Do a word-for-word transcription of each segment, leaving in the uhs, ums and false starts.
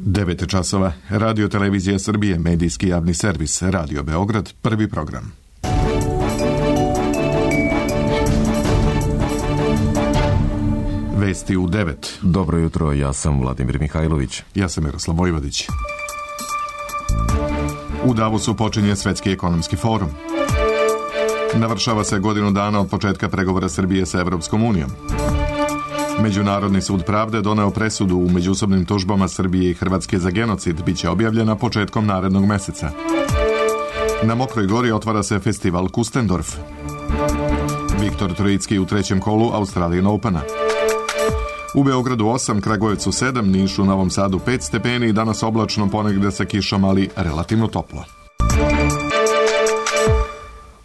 devet časova. Radio Televizija Srbije, medijski javni servis, Radio Beograd, prvi program. Vesti u devet. Dobro jutro, ja sam Vladimir Mihajlović. Ja sam Miroslav Vojvodić. U Davosu počinje Svetski ekonomski forum. Navršava se godinu dana od početka pregovora Srbije sa Evropskom unijom. Međunarodni sud pravde doneo presudu u međusobnim tužbama Srbije i Hrvatske za genocid, biće objavljena početkom narednog meseca. Na Mokroj gori otvara se festival Kustendorf. Viktor Trojicki u trećem kolu Australian Opena. U Beogradu osam, Kragujevcu sedam, Nišu, Novom Sadu pet stepeni i danas oblačno, ponegde sa kišom, ali relativno toplo.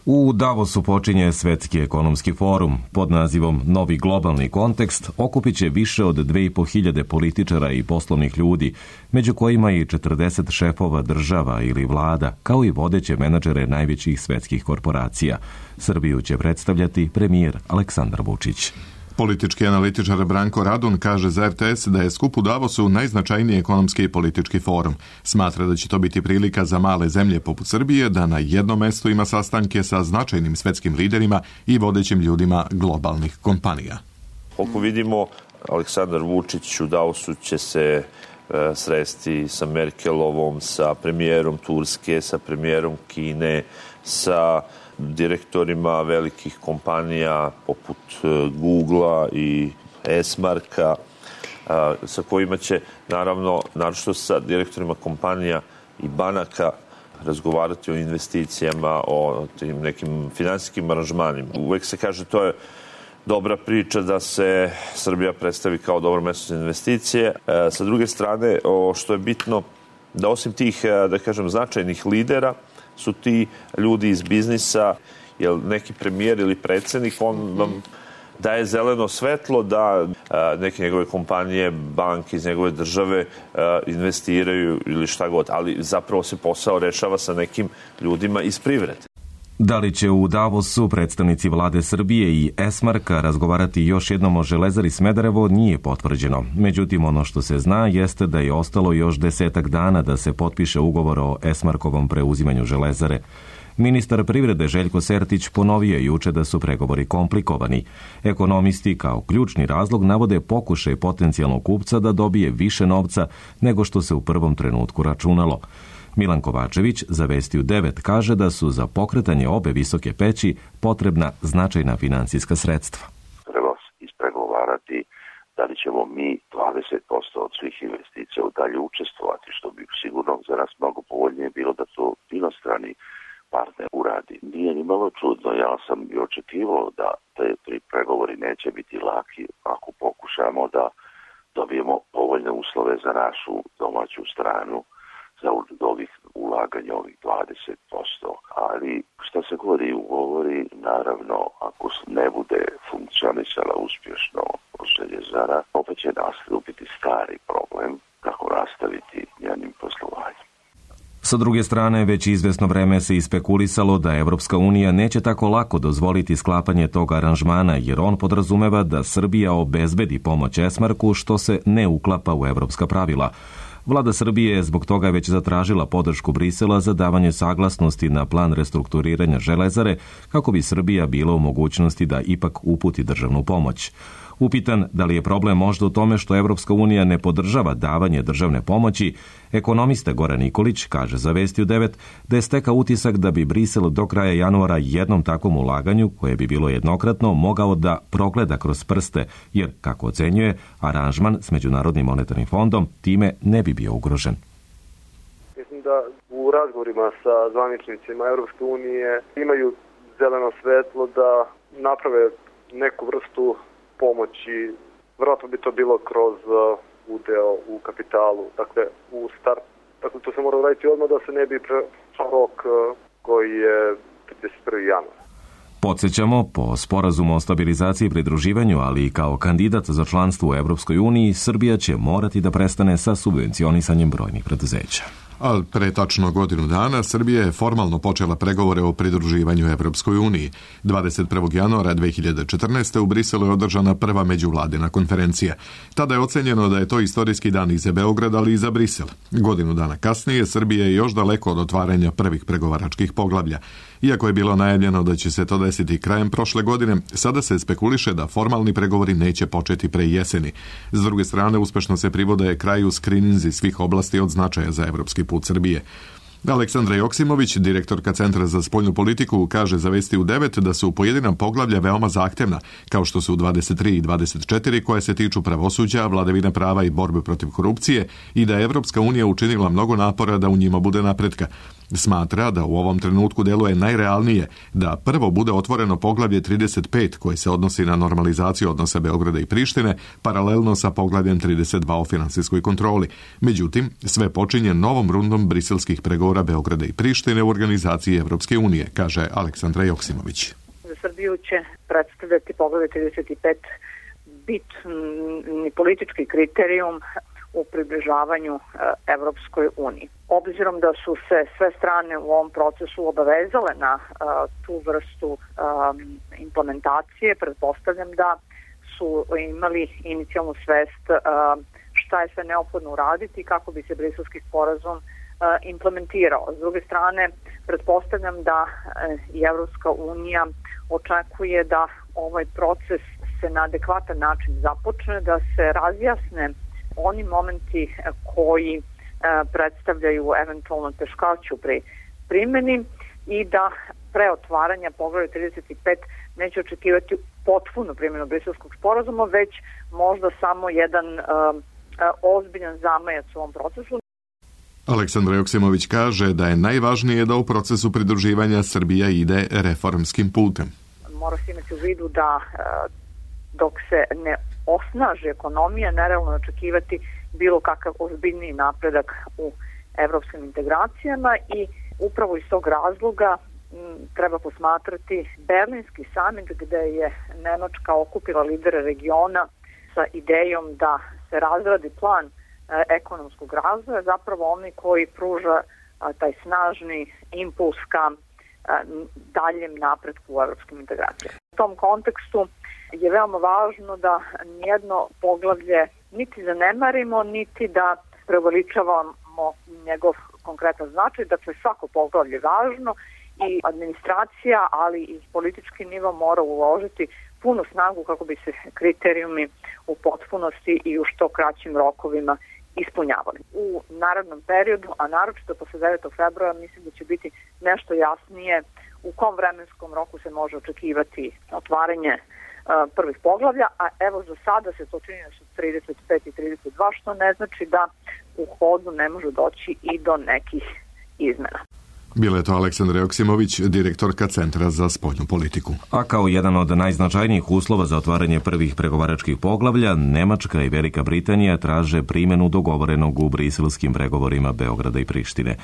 U Davosu počinje Svetski ekonomski forum. Pod nazivom Novi globalni kontekst okupit će više od dve i po hiljade političara i poslovnih ljudi, među kojima i četrdeset šefova država ili vlada, kao i vodeće menadžere najvećih svetskih korporacija. Srbiju će predstavljati premijer Aleksandar Vučić. Politički analitičar Branko Radun kaže za R T S da je skup u Davosu najznačajniji ekonomski i politički forum. Smatra da će to biti prilika za male zemlje poput Srbije da na jednom mestu ima sastanke sa značajnim svetskim liderima i vodećim ljudima globalnih kompanija. Koliko vidimo, Aleksandar Vučić u Davosu će se e, sresti sa Merkelovom, sa premijerom Turske, sa premijerom Kine, sa direktorima velikih kompanija poput Googlea i Esmarka, sa kojima će, naravno, naročito sa direktorima kompanija i banaka razgovarati o investicijama, o tim nekim finansijskim aranžmanima. Uvek se kaže to je dobra priča da se Srbija predstavi kao dobro mesto za investicije. Sa druge strane, što je bitno, da osim tih, da kažem, značajnih lidera, su ti ljudi iz biznisa, jer neki premijer ili predsjednik, on vam daje zeleno svetlo da a, neke njegove kompanije, banke iz njegove države a, investiraju ili šta god, ali zapravo se posao rešava sa nekim ljudima iz privrede. Da li će u Davosu predstavnici vlade Srbije i Esmarka razgovarati još jednom o Železari Smederevo nije potvrđeno. Međutim, ono što se zna jeste da je ostalo još desetak dana da se potpiše ugovor o Esmarkovom preuzimanju Železare. Ministar privrede Željko Sertić ponovio juče da su pregovori komplikovani. Ekonomisti kao ključni razlog navode pokušaj potencijalnog kupca da dobije više novca nego što se u prvom trenutku računalo. Milan Kovačević za Vesti u devet kaže da su za pokretanje obe visoke peći potrebna značajna finansijska sredstva. Treba ispregovarati da li ćemo mi dvadeset posto od svih investicija u dalje učestvovati, što bi sigurno za nas mnogo povoljnije bilo da to inostrani partner uradi. Nije ni malo čudno, ja sam i očekivao da te tri pregovori neće biti laki ako pokušamo da dobijemo povoljne uslove za našu domaću stranu za ovih ulaganja, ovih dvadeset posto. Ali što se god i ugovori, naravno, ako ne bude funkcionisala uspješno Željezara, opet će nastupiti stari problem kako nastaviti njenim poslovanjem. Sa druge strane, već izvesno vreme se ispekulisalo da Evropska unija neće tako lako dozvoliti sklapanje tog aranžmana, jer on podrazumeva da Srbija obezbedi pomoć Esmarku, što se ne uklapa u evropska pravila. Vlada Srbije je zbog toga već zatražila podršku Brisela za davanje saglasnosti na plan restrukturiranja Železare, kako bi Srbija bila u mogućnosti da ipak uputi državnu pomoć. Upitan da li je problem možda u tome što Evropska unija ne podržava davanje državne pomoći, ekonomista Goran Nikolić kaže za Vesti u devet da je stekao utisak da bi Brisel do kraja januara jednom takvom ulaganju, koje bi bilo jednokratno, mogao da progleda kroz prste, jer, kako ocenjuje, aranžman s Međunarodnim monetarnim fondom time ne bi bio ugrožen. Mislim da u razgovorima sa zvaničnicima Evropske unije imaju zeleno svetlo da naprave neku vrstu pomoći. Vjerojatno bi to bilo kroz uh, udeo u kapitalu, dakle u start. Dakle, to se mora raditi odmah da se ne bi prešao rok uh, koji je trideset prvog januara. Podsjećamo, po sporazumu o stabilizaciji i pridruživanju, ali i kao kandidat za članstvo u Evropskoj uniji, Srbija će morati da prestane sa subvencionisanjem brojnih preduzeća. Ali pre tačno godinu dana Srbija je formalno počela pregovore o pridruživanju Evropskoj uniji. dvadeset prvog januara dve hiljade četrnaeste. u Briselu je održana prva međuvladina konferencija. Tada je ocenjeno da je to istorijski dan i za Beograd, ali i za Brisel. Godinu dana kasnije Srbija je još daleko od otvaranja prvih pregovaračkih poglavlja. Iako je bilo najavljeno da će se to desiti krajem prošle godine, sada se spekuliše da formalni pregovori neće početi pre jeseni. S druge strane, uspešno se privode kraju skrininzi svih oblasti od značaja za evropski put Srbije. Aleksandra Joksimović, direktorka Centra za spoljnu politiku, kaže za Vesti u devet da su pojedina poglavlja veoma zahtevna, kao što su dvadeset tri i dvadeset četiri koje se tiču pravosuđa, vladavine prava i borbe protiv korupcije i da je Evropska unija učinila mnogo napora da u njima bude napretka. Smatra da u ovom trenutku deluje najrealnije da prvo bude otvoreno poglavlje trideset pet koje se odnosi na normalizaciju odnosa Beograda i Prištine, paralelno sa poglavljem trideset dva o finansijskoj kontroli. Međutim, sve počinje novom rundom briselskih pregovora Beograda i Prištine u organizaciji Evropske unije, kaže Aleksandra Joksimović. Za Srbiju će predstavljati poglavlje trideset pet bitni politički kriterijum u približavanju Evropskoj uniji. Obzirom da su se sve strane u ovom procesu obavezale na uh, tu vrstu um, implementacije, pretpostavljam da su imali inicijalnu svest uh, šta je sve neophodno uraditi kako bi se briselski sporazum uh, implementirao. S druge strane, pretpostavljam da uh, i Evropska unija očekuje da ovaj proces se na adekvatan način započne, da se razjasne oni momenti koji predstavljaju eventualno teškoću pri primjeni i da pre otvaranja poglavlja trideset pet neće očekivati potpunu primjenu briselskog sporazuma, već možda samo jedan uh, ozbiljan zamajac u ovom procesu. Aleksandra Joksimović kaže da je najvažnije da u procesu pridruživanja Srbija ide reformskim putem. Mora se imati u vidu da uh, dok se ne osnaži ekonomija, nerealno očekivati bilo kakav ozbiljniji napredak u evropskim integracijama i upravo iz tog razloga m, treba posmatrati Berlinski samit gde je Nemačka okupila lidere regiona sa idejom da se razradi plan e, ekonomskog razvoja, zapravo oni koji pruža a, taj snažni impuls ka a, daljem napretku u evropskim integracijama. U tom kontekstu je veoma važno da nijedno poglavlje niti zanemarimo, niti da preuveličavamo njegov konkretan značaj. Dakle, svako poglavlje je važno i administracija, ali i politički nivo mora uložiti punu snagu kako bi se kriterijumi u potpunosti i u što kraćim rokovima ispunjavali. U narednom periodu, a naročito posle devetog februara, mislim da će biti nešto jasnije u kom vremenskom roku se može očekivati otvaranje prvih poglavlja, a evo za sada se to čini da su trideset pet i trideset dva, što ne znači da u hodu ne može doći i do nekih izmena. Bila je to Aleksandra Joksimović, direktorka Centra za spoljnu politiku. A kao jedan od najznačajnijih uslova za otvaranje prvih pregovaračkih poglavlja, Nemačka i Velika Britanija traže primjenu dogovorenog u briselskim pregovorima Beograda i Prištine.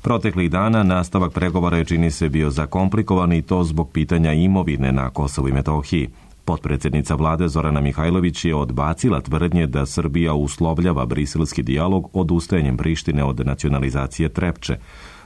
Proteklih dana nastavak pregovora je, čini se, bio zakomplikovan i to zbog pitanja imovine na Kosovu i Metohiji. Potpredsjednica vlade Zorana Mihajlović je odbacila tvrdnje da Srbija uslovljava briselski dijalog odustajanjem Prištine od nacionalizacije Trepče.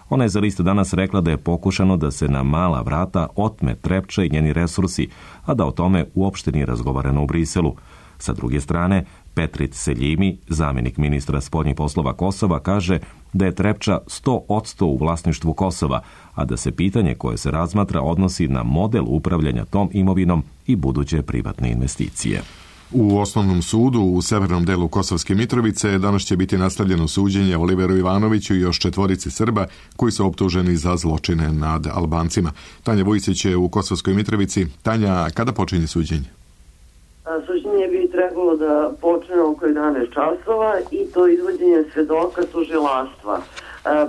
Ona je za List danas rekla da je pokušano da se na mala vrata otme Trepča i njeni resursi, a da o tome uopšte nije razgovarano u Briselu. Sa druge strane, Petrit Seljimi, zamjenik ministra spoljnih poslova Kosova, kaže da je Trepča sto posto u vlasništvu Kosova, a da se pitanje koje se razmatra odnosi na model upravljanja tom imovinom i buduće privatne investicije. U osnovnom sudu u severnom delu Kosovske Mitrovice danas će biti nastavljeno suđenje Oliveru Ivanoviću i još četvorici Srba koji su optuženi za zločine nad Albancima. Tanja Vujsić je u Kosovskoj Mitrovici. Tanja, kada počinje suđenje? Suđenje bi trebalo da počne oko jedanaest časova i to izvođenje svedoka tužilaštva.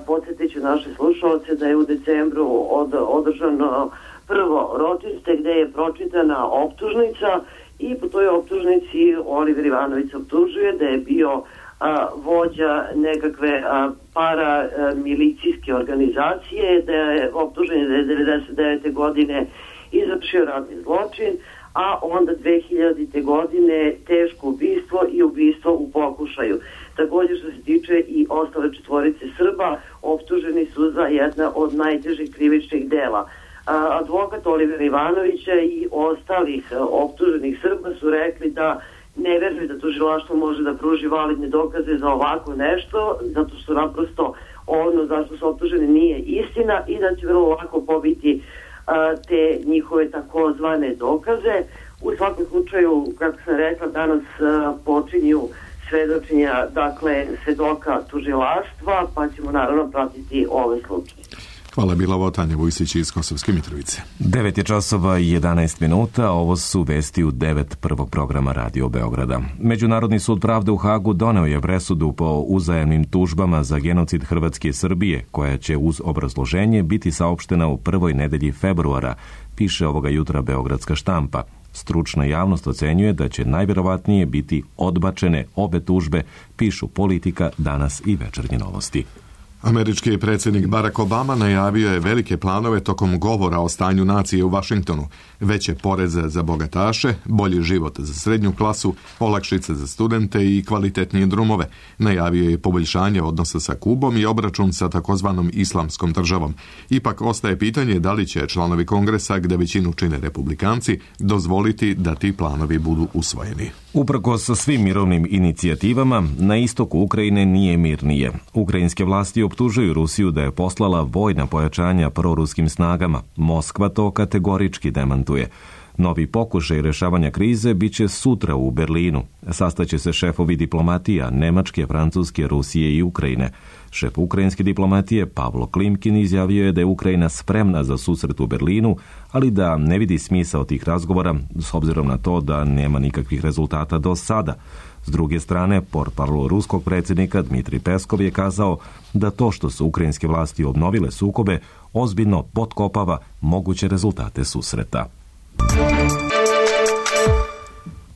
Podsjetit ću naše slušalce da je u decembru od, održano prvo ročište gde je pročitana optužnica i po toj optužnici Oliver Ivanović optužuje da je bio a, vođa nekakve a, paramilicijske organizacije, da je optužen da je devedeset devete godine izvršio ratni zločin, a onda dve hiljadite. godine teško ubistvo i ubistvo u pokušaju. Također što se tiče i ostale četvorice Srba, optuženi su za jedna od najtežih krivičnih dela. Advokat Olivera Ivanovića i ostalih optuženih Srba su rekli da ne veruju da tužilaštvo može da pruži validne dokaze za ovako nešto, zato što naprosto ono zašto su optuženi nije istina i da će vrlo lako pobiti a, te njihove takozvane dokaze. U svakom slučaju, kako sam rekla, danas a, počinju svedočenja, dakle, svedoka tužilaštva, pa ćemo naravno pratiti ove slučaje. Hvala, bila ovo Tanja Vujsić iz Kosovske Mitrovice. devet je časova i jedanaest minuta, ovo su vesti u devet prvog programa Radio Beograda. Međunarodni sud pravde u Hagu doneo je presudu po uzajamnim tužbama za genocid Hrvatske i Srbije, koja će uz obrazloženje biti saopštena u prvoj nedelji februara, piše ovoga jutra Beogradska štampa. Stručna javnost ocenjuje da će najvjerovatnije biti odbačene obe tužbe, pišu Politika, Danas i Večernje novosti. Američki predsjednik Barack Obama najavio je velike planove tokom govora o stanju nacije u Vašingtonu, veće poreze za bogataše, bolji život za srednju klasu, olakšice za studente i kvalitetnije drumove. Najavio je poboljšanje odnosa sa Kubom i obračun sa takozvanom islamskom državom. Ipak ostaje pitanje da li će članovi Kongresa, gde većinu čine republikanci, dozvoliti da ti planovi budu usvojeni. Uprkos svim mirovnim inicijativama, na istoku Ukrajine nije mirnije. Ukrajinske vlasti optužuju Rusiju da je poslala vojna pojačanja proruskim snagama. Moskva to kategorički demantuje. Novi pokušaj rešavanja krize bit će sutra u Berlinu. Sastaće se šefovi diplomatija Nemačke, Francuske, Rusije i Ukrajine. Šef ukrajinske diplomatije Pavlo Klimkin izjavio je da je Ukrajina spremna za susret u Berlinu, ali da ne vidi smisao tih razgovora s obzirom na to da nema nikakvih rezultata do sada. S druge strane, portparol ruskog predsjednika Dmitrij Peskov je kazao da to što su ukrajinske vlasti obnovile sukobe ozbiljno potkopava moguće rezultate susreta.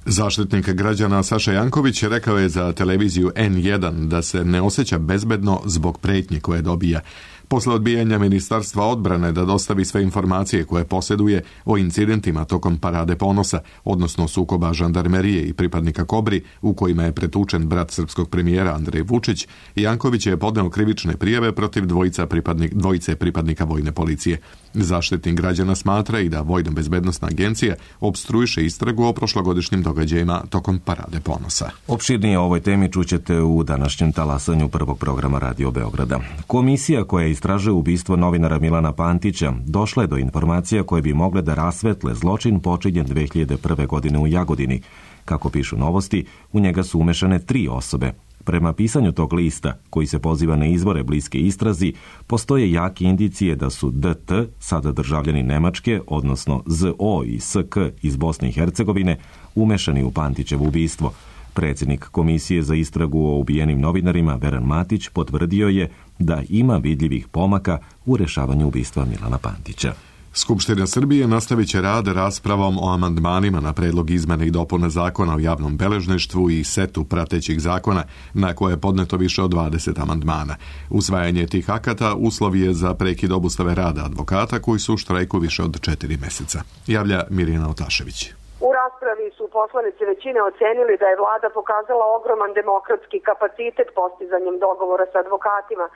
Zaštitnik građana Saša Janković rekao je za televiziju en jedan da se ne osjeća bezbedno zbog prijetnji koje dobija. Posle odbijanja Ministarstva odbrane da dostavi sve informacije koje posjeduje o incidentima tokom Parade ponosa, odnosno sukoba žandarmerije i pripadnika Kobri, u kojima je pretučen brat srpskog premijera Andrej Vučić, Janković je podneo krivične prijave protiv dvojica pripadnik, dvojice pripadnika vojne policije. Zaštitnik građana smatra i da Vojna bezbednosna agencija opstruiše istragu o prošlogodišnjim događajima tokom Parade ponosa. Opširnije o ovoj temi čućete u današnjem talasanju prvog programa Radio Beograda. Komisija koja istražuje ubistvo novinara Milana Pantića došla je do informacija koje bi mogle da rasvetle zločin počinjen dve hiljade prve. godine u Jagodini. Kako pišu novosti, u njega su umešane tri osobe. Prema pisanju tog lista, koji se poziva na izvore bliske istrazi, postoje jake indicije da su D T, sada državljani Nemačke, odnosno Z O i S K iz Bosne i Hercegovine, umešani u Pantićevo ubistvo. Predsjednik Komisije za istragu o ubijenim novinarima Veran Matić potvrdio je da ima vidljivih pomaka u rešavanju ubistva Milana Pantića. Skupština Srbije nastavit će rad raspravom o amandmanima na predlog izmene i dopune zakona o javnom beležništvu i setu pratećih zakona, na koje je podneto više od dvadeset amandmana. Usvajanje tih akata uslov je za prekid obustave rada advokata koji su u štrajku više od četiri meseca. Javlja Mirjana Otašević. U raspravi su poslanici većine ocenili da je vlada pokazala ogroman demokratski kapacitet postizanjem dogovora sa advokatima,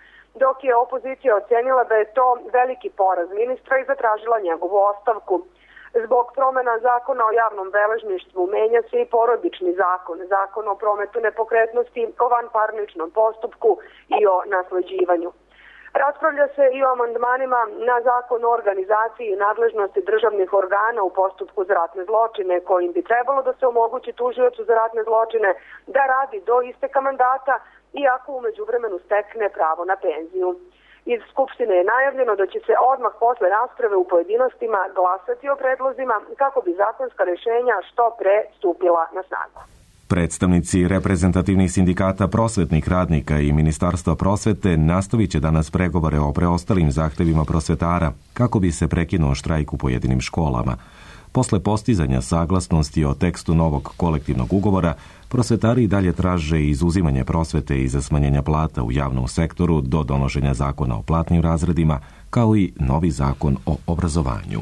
dok je opozicija ocenila da je to veliki poraz ministra i zatražila njegovu ostavku. Zbog promjena zakona o javnom beležništvu menja se i porodični zakon, zakon o prometu nepokretnosti, o vanparničnom postupku i o nasleđivanju. Raspravlja se i o amandmanima na zakon o organizaciji i nadležnosti državnih organa u postupku za ratne zločine, kojim bi trebalo da se omogući tužiocu za ratne zločine da radi do isteka mandata, iako u međuvremenu stekne pravo na penziju. Iz Skupštine je najavljeno da će se odmah posle rasprave u pojedinostima glasati o predlozima kako bi zakonska rješenja što pre stupila na snagu. Predstavnici reprezentativnih sindikata prosvetnih radnika i Ministarstva prosvete nastavit će danas pregovore o preostalim zahtevima prosvetara kako bi se prekinuo štrajk u pojedinim školama. Posle postizanja saglasnosti o tekstu novog kolektivnog ugovora, prosvetari dalje traže izuzimanje prosvete i za smanjenja plata u javnom sektoru do donošenja zakona o platnim razredima, kao i novi zakon o obrazovanju.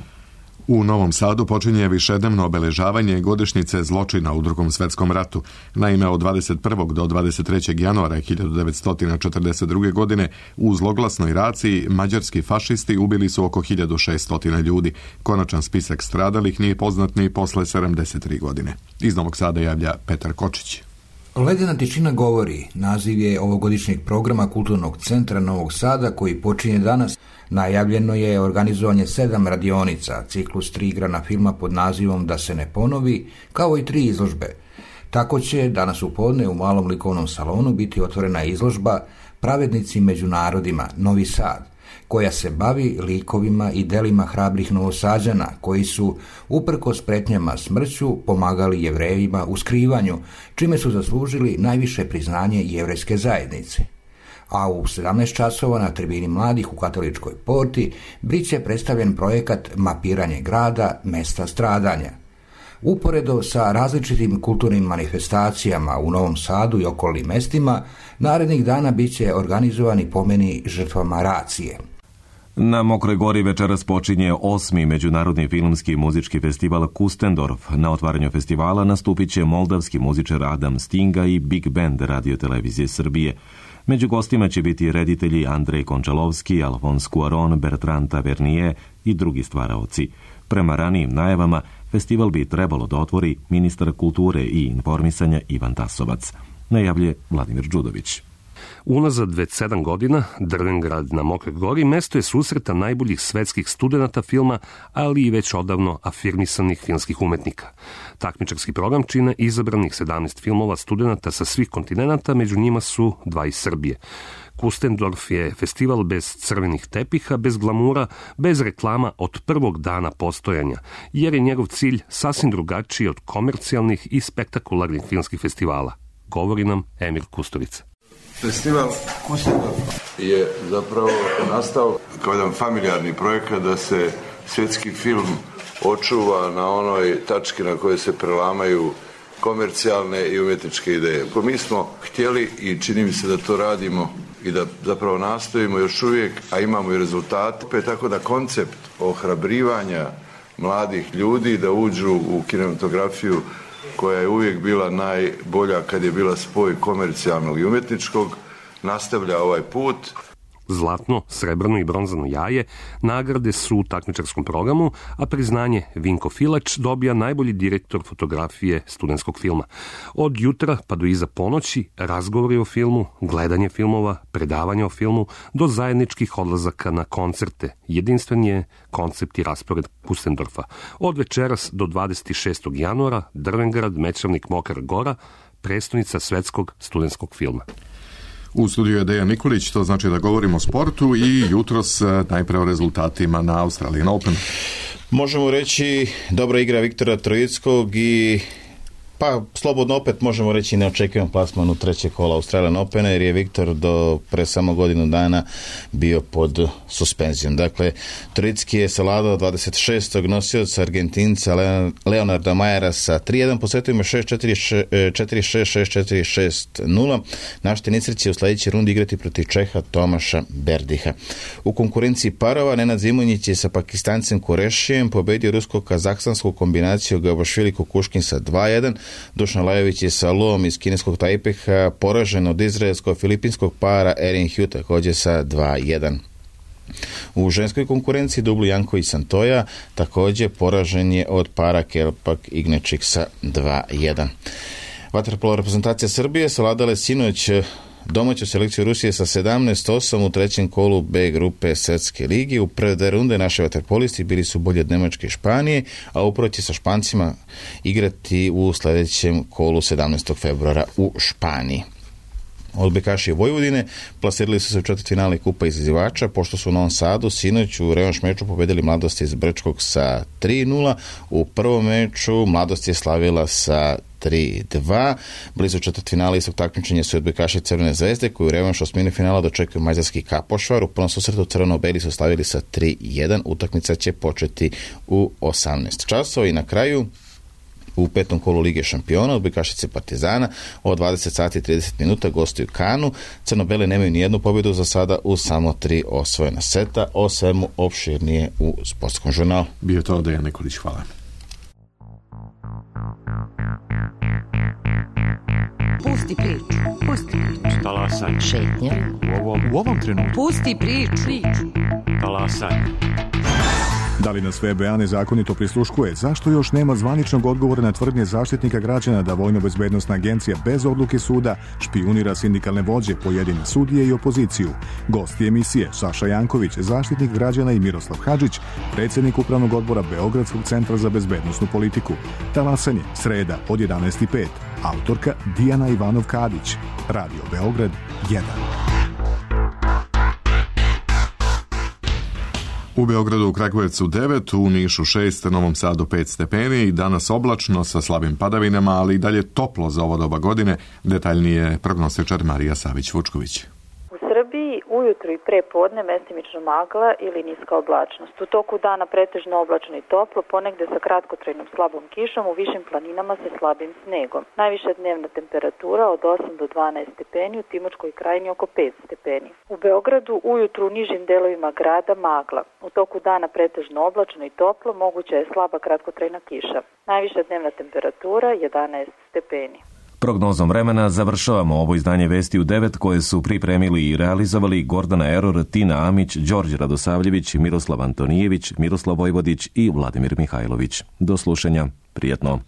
U Novom Sadu počinje višednevno obeležavanje godišnjice zločina u Drugom svetskom ratu. Naime, od dvadeset prvog do dvadeset trećeg januara hiljadu devetsto četrdeset druge. godine u zloglasnoj raciji mađarski fašisti ubili su oko hiljadu šesto ljudi. Konačan spisak stradalih nije poznat ni posle sedamdeset tri godine. Iz Novog Sada javlja Petar Kočić. Ledena tišina govori, naziv je ovogodišnjeg programa Kulturnog centra Novog Sada koji počinje danas. Najavljeno je organizovanje sedam radionica, ciklus tri igrana filma pod nazivom Da se ne ponovi, kao i tri izložbe. Tako će danas u podne u malom likovnom salonu biti otvorena izložba Pravednici među narodima, Novi Sad, koja se bavi likovima i delima hrabrih Novosađana koji su, uprkos pretnjama smrću, pomagali Jevrejima u skrivanju, čime su zaslužili najviše priznanje jevrejske zajednice. A u sedamnaest časova na tribini mladih u Katoličkoj porti bit će predstavljen projekat Mapiranje grada, mesta stradanja. Uporedo sa različitim kulturnim manifestacijama u Novom Sadu i okolnim mestima, narednih dana bit će organizovani pomeni žrtvama racije. Na Mokroj Gori večeras počinje osmi međunarodni filmski i muzički festival Kustendorf. Na otvaranju festivala nastupit će moldavski muzičar Adam Stinga i Big Band Radio-televizije Srbije. Među gostima će biti reditelji Andrej Končalovski, Alfons Cuaron, Bertrand Tavernier i drugi stvaraoci. Prema ranijim najavama, festival bi trebalo da otvori ministar kulture i informisanja Ivan Tasovac. Najavlje Vladimir Đudović. Unazad već sedam godina Drvengrad na Mokroj Gori mesto je susreta najboljih svetskih studenata filma, ali i već odavno afirmisanih filmskih umetnika. Takmičarski program čine izabranih sedamnaest filmova studenata sa svih kontinenata, među njima su dva iz Srbije. Kustendorf je festival bez crvenih tepiha, bez glamura, bez reklama od prvog dana postojanja, jer je njegov cilj sasvim drugačiji od komercijalnih i spektakularnih filmskih festivala. Govori nam Emir Kusturica. Festival Kustendorf je zapravo nastao kao jedan familijarni projekat da se svjetski film očuva na onoj tački na kojoj se prelamaju komercijalne i umjetničke ideje. Mi smo htjeli i čini mi se da to radimo i da zapravo nastojimo još uvijek, a imamo i rezultate, tako da koncept ohrabrivanja mladih ljudi da uđu u kinematografiju koja je uvijek bila najbolja kad je bila spoj komercijalnog i umjetničkog, nastavlja ovaj put. Zlatno, srebrno i bronzano jaje nagrade su u takmičarskom programu, a priznanje Vinko Filač dobija najbolji direktor fotografije studentskog filma. Od jutra pa do iza ponoći razgovori o filmu, gledanje filmova, predavanje o filmu, do zajedničkih odlazaka na koncerte. Jedinstven je koncept i raspored Kustendorfa. Od večeras do dvadeset šestog januara Drvengrad, Mečavnik, Mokra Gora, prestonica svetskog studentskog filma. U studiju je Dejan Nikolić, to znači da govorimo o sportu i jutros najpre o rezultatima na Australian Open. Možemo reći dobra igra Viktora Trojickog i pa slobodno opet možemo reći neočekivan plasman u treće kola Australian Opena, jer je Viktor do pre samo godinu dana bio pod suspenzijom. Dakle, Trojicki je savladao dvadeset šestog nosioca Argentinca Leonarda Majera sa tri jedan, po setovima šest četiri, četiri šest, šest četiri, šest nula. Naš tenisar će u sledećoj rundi igrati protiv Čeha Tomaša Berdiha. U konkurenciji parova Nenad Zimonjić je sa Pakistancem Kurešijem pobedio rusko-kazahstansku kombinaciju Gavašvili Kukuškin sa dva jedan. Dušan Lajović je sa Lom iz kineskog Tajpeha poražen od izraelsko-filipinskog para Erin Hugh također sa dva jedan. U ženskoj konkurenciji dublu Janko i Santoja također poražen je od para Kelpak Ignečik sa dva jedan. Vaterpolo reprezentacija Srbije savladala je sinoć domaću selekciju Rusije sa sedamnaest osam u trećem kolu B grupe Svetske ligi. U prve dve runde naši vaterpolisti bili su bolji od Nemačke i Španije, a upravo će sa Špancima igrati u sljedećem kolu sedamnaestog februara u Španiji. Odbojkaši Vojvodine plasirali su se u četvrtfinale Kupa izazivača, pošto su u Novom Sadu sinoć u revanš meču pobedili Mladost iz Brčkog sa tri nula. U prvom meču Mladost je slavila sa tri dva. Blizu četvrtfinala istog takmičenja su odbojkaši Crvene zvezde, koji u revanšu osmini finala dočekuju mađarski Kapošvar. U prvom susretu crveno-beli su slavili sa tri jedan. Utakmica će početi u osamnaest časova. I na kraju u petom kolu Lige šampiona, odbojkašice Partizana od dvadeset sati i trideset minuta gostuju Kanu. Crno-bele nemaju ni jednu pobjedu za sada u samo tri osvojena seta. O svemu opširnije u Sportskom žurnalu. Bio to Dejan Nikolić, hvala. Pusti priču, pusti priču. Talasaj. Šetnja. U ovom, u ovom trenutku. Pusti priču. Talasaj. Da li nas V B A nezakonito prisluškuje? Zašto još nema zvaničnog odgovora na tvrdnje zaštitnika građana da Vojno-bezbednosna agencija bez odluke suda špijunira sindikalne vođe, pojedine sudije i opoziciju? Gosti emisije Saša Janković, zaštitnik građana, i Miroslav Hadžić, predsjednik Upravnog odbora Beogradskog centra za bezbednosnu politiku. Talasanje, sreda od jedanaest i pet. Autorka Dijana Ivanov-Kadić. Radio Beograd jedan. U Beogradu, u Kragujevcu devet, u Nišu šest, Novom Sadu pet stepeni i danas oblačno sa slabim padavinama, ali i dalje toplo za ovo doba godine. Detaljnije prognostičar Marija Savić-Vučković. U Srbiji ujutru i pre podne mestimično magla ili niska oblačnost. U toku dana pretežno oblačno i toplo, ponegde sa kratkotrajnom slabom kišom, u višim planinama sa slabim snegom. Najviša dnevna temperatura od osam do dvanaest stepeni, u Timočkoj krajini oko pet stepeni. U Beogradu ujutru u nižim delovima grada magla. U toku dana pretežno oblačno i toplo, moguća je slaba kratkotrajna kiša. Najviša dnevna temperatura jedanaest stepeni. Prognozom vremena završavamo ovo izdanje Vesti u devet koje su pripremili i realizovali Gordana Eror, Tina Amić, Đorđe Radosavljević, Miroslav Antonijević, Miroslav Vojvodić i Vladimir Mihajlović. Do slušanja. Prijetno.